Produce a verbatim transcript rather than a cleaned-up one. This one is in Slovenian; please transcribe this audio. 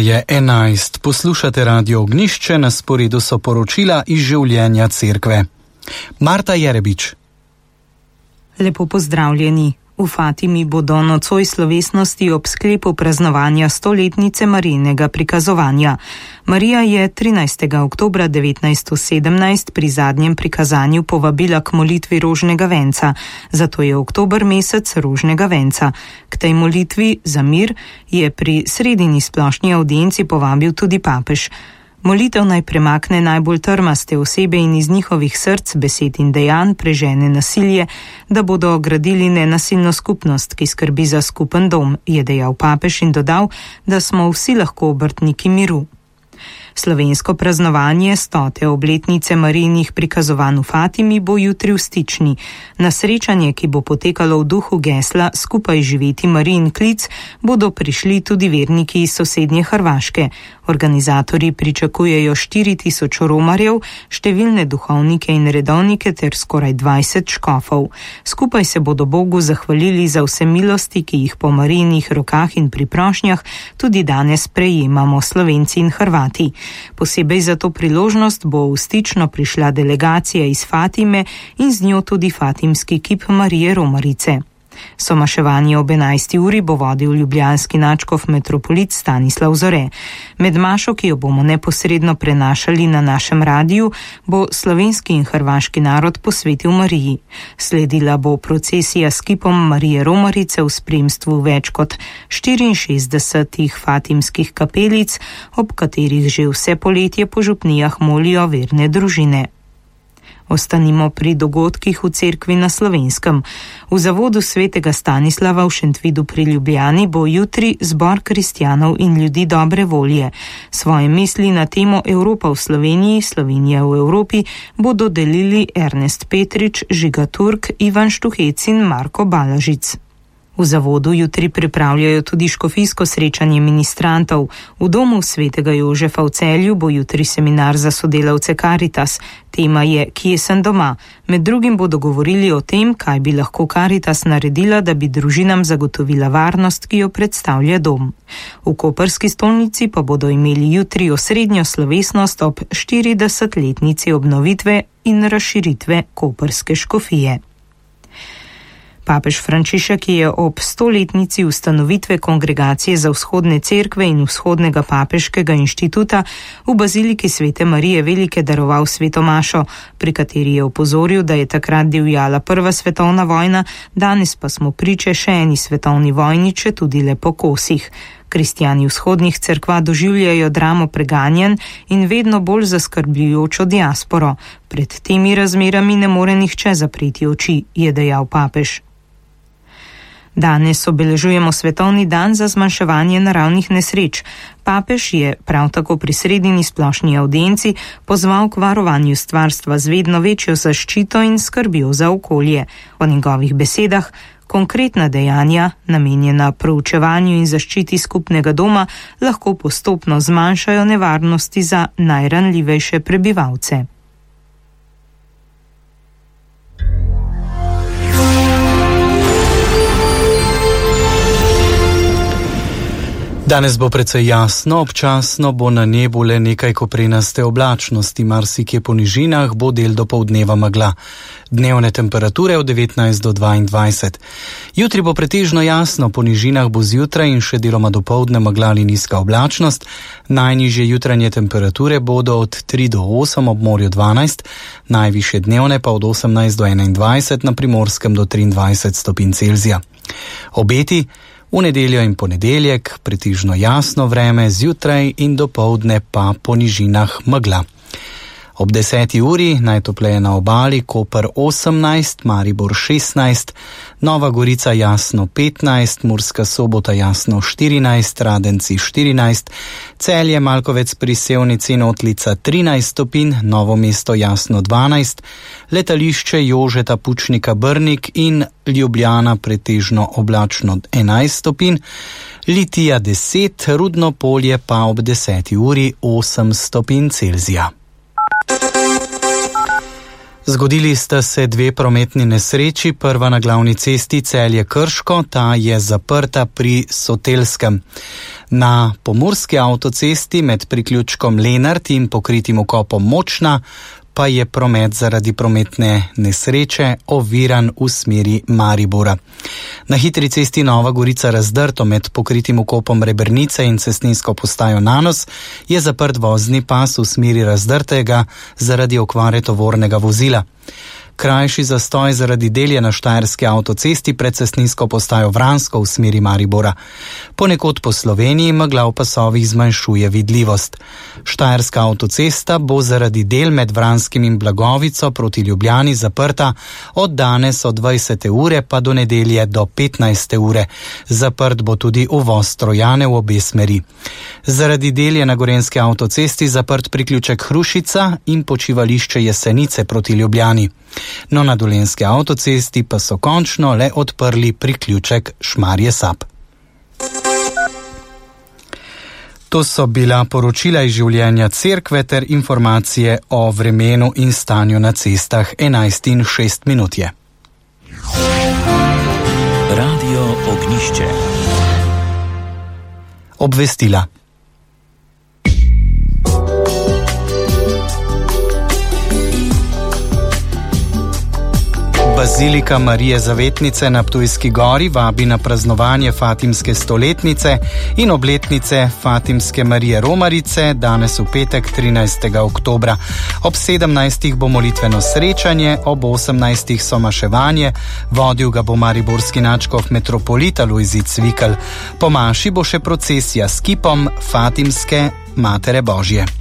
je enajst. Poslušate Radio Ognjišče, na sporedu so poročila iz življenja cerkve. Marta Jerebič. Lepo pozdravljeni. V Fatimi bodo nocoj slovesnosti ob sklepu praznovanja stoletnice Marijinega prikazovanja. Marija je trinajstega oktobra devetnajststo sedemnajst pri zadnjem prikazanju povabila k molitvi rožnega venca, zato je oktober mesec rožnega venca. K tej molitvi za mir je pri sredini splošni avdienci povabil tudi papež. Molitev naj premakne najbolj trmaste osebe in iz njihovih src, besed in dejanj prežene nasilje, da bodo gradili nenasilno skupnost, ki skrbi za skupen dom, je dejal papež in dodal, da smo vsi lahko obrtniki miru. Slovensko praznovanje stote obletnice Marijinih prikazovanj v Fatimi bo jutri v Stični. Na srečanje, ki bo potekalo v duhu gesla Skupaj živeti Marijin klic, bodo prišli tudi verniki iz sosednje Hrvaške. Organizatorji pričakujejo štiri tisoč romarjev, številne duhovnike in redovnike ter skoraj dvajset škofov. Skupaj se bodo Bogu zahvalili za vse milosti, ki jih po Marijinih rokah in pri prošnjah tudi danes prejemamo Slovenci in Hrvati. Posebej za to priložnost bo v Stično prišla delegacija iz Fatime in z njo tudi fatimski kip Marije Romarice. Somaševanje ob enajsti uri bo vodil ljubljanski nadškof metropolit Stanislav Zore. Med mašo, ki jo bomo neposredno prenašali na našem radiju, bo slovenski in hrvaški narod posvetil Mariji. Sledila bo procesija s kipom Marije Romarice v spremstvu več kot štiriinšestdesetih fatimskih kapelic, ob katerih že vse poletje po župnijah molijo verne družine. Ostanimo pri dogodkih v cerkvi na Slovenskem. V zavodu svetega Stanislava v Šentvidu pri Ljubljani bo jutri zbor kristjanov in ljudi dobre volje. Svoje misli na temo Evropa v Sloveniji, Slovenija v Evropi bodo delili Ernest Petrič, Žiga Turk, Ivan Štuhec in Marko Balažic. V zavodu jutri pripravljajo tudi škofijsko srečanje ministrantov. V domu svetega Jožefa v Celju bo jutri seminar za sodelavce Karitas. Tema je Kje sem doma? Med drugim bodo govorili o tem, kaj bi lahko Karitas naredila, da bi družinam zagotovila varnost, ki jo predstavlja dom. V koprski stolnici pa bodo imeli jutri osrednjo slovesnost ob štiridesetletnici obnovitve in razširitve koprske škofije. Papež Frančišek je ob stoletnici ustanovitve Kongregacije za vzhodne cerkve in Vzhodnega papeškega inštituta v baziliki Svete Marije Velike daroval sveto mašo, pri kateri je opozoril, da je takrat divjala prva svetovna vojna, danes pa smo priče še eni svetovni vojni, če tudi le po kosih. Kristjani vzhodnih cerkva doživljajo dramo preganjanj in vedno bolj zaskrbljujočo diasporo. Pred temi razmerami ne more nihče zapreti oči, je dejal papež. Danes obeležujemo svetovni dan za zmanjševanje naravnih nesreč. Papež je prav tako pri sredini splošni avdienci pozval k varovanju stvarstva z vedno večjo zaščito in skrbjo za okolje. Po njegovih besedah, konkretna dejanja, namenjena proučevanju in zaščiti skupnega doma, lahko postopno zmanjšajo nevarnosti za najranljivejše prebivalce. Danes bo precej jasno, občasno bo na nebu le nekaj koprenaste oblačnosti, marsikje po nižinah bo del dopoldneva megla. Dnevne temperature od devetnajst do dvaindvajset. Jutri bo pretežno jasno, po nižinah bo zjutraj in še deloma dopoldne megla ali nizka oblačnost. Najnižje jutranje temperature bodo od tri do osem, ob morju dvanajst, najvišje dnevne pa od osemnajst do enaindvajset, na Primorskem do triindvajset stopinj Celzija. Obeti: v nedeljo in ponedeljek pretežno jasno vreme, zjutraj in dopoldne pa po nižinah megla. Ob deseti uri najtopleje na obali, Koper osemnajst, Maribor šestnajst, Nova Gorica jasno petnajst, Murska Sobota jasno štirinajst, Radenci štirinajst, Celje, Malkovec pri Sevnici in Otlica trinajst stopinj, Novo mesto jasno dvanajst, Letališče Jožeta Pučnika Brnik in Ljubljana pretežno oblačno enajst stopinj, Litija deset, Rudno Polje pa ob deseti uri osem stopinj Celzija. Zgodili sta se dve prometni nesreči, prva na glavni cesti Celje-Krško, ta je zaprta pri Sotelskem. Na pomurski avtocesti med priključkom Lenart in pokritim vkopom Močna pa je promet zaradi prometne nesreče oviran v smeri Maribora. Na hitri cesti Nova Gorica-Razdrto med pokritim vkopom Rebernice in cestninsko postajo Nanos je zaprt vozni pas v smeri Razdrtega zaradi okvare tovornega vozila. Krajši zastoj zaradi del je na štajerski avtocesti pred cestninsko postajo Vransko v smeri Maribora. Ponekod po Sloveniji megla v pasovih zmanjšuje vidljivost. Štajerska avtocesta bo zaradi del med Vranskim in Blagovico proti Ljubljani zaprta od danes od dvajsete ure pa do nedelje do petnajste ure. Zaprt bo tudi uvoz Trojane v obe smeri. Zaradi del je na gorenski avtocesti zaprt priključek Hrušica in počivališče Jesenice proti Ljubljani. No, na dolenjski avtocesti pa so končno le odprli priključek Šmarje-Sab. To so bila poročila iz življenja cerkve ter informacije o vremenu in stanju na cestah. enajst in šest minut je. Radio Ognjišče. Obvestila. Bazilika Marije Zavetnice na Ptujski gori vabi na praznovanje Fatimske stoletnice in obletnice Fatimske Marije Romarice danes v petek trinajstega oktobra. Ob sedemnajstih bo molitveno srečanje, ob osemnajstih somaševanje, vodil ga bo mariborski nadškof metropolita Lojzit Cvikl. Po maši bo še procesija s kipom Fatimske Matere Božje.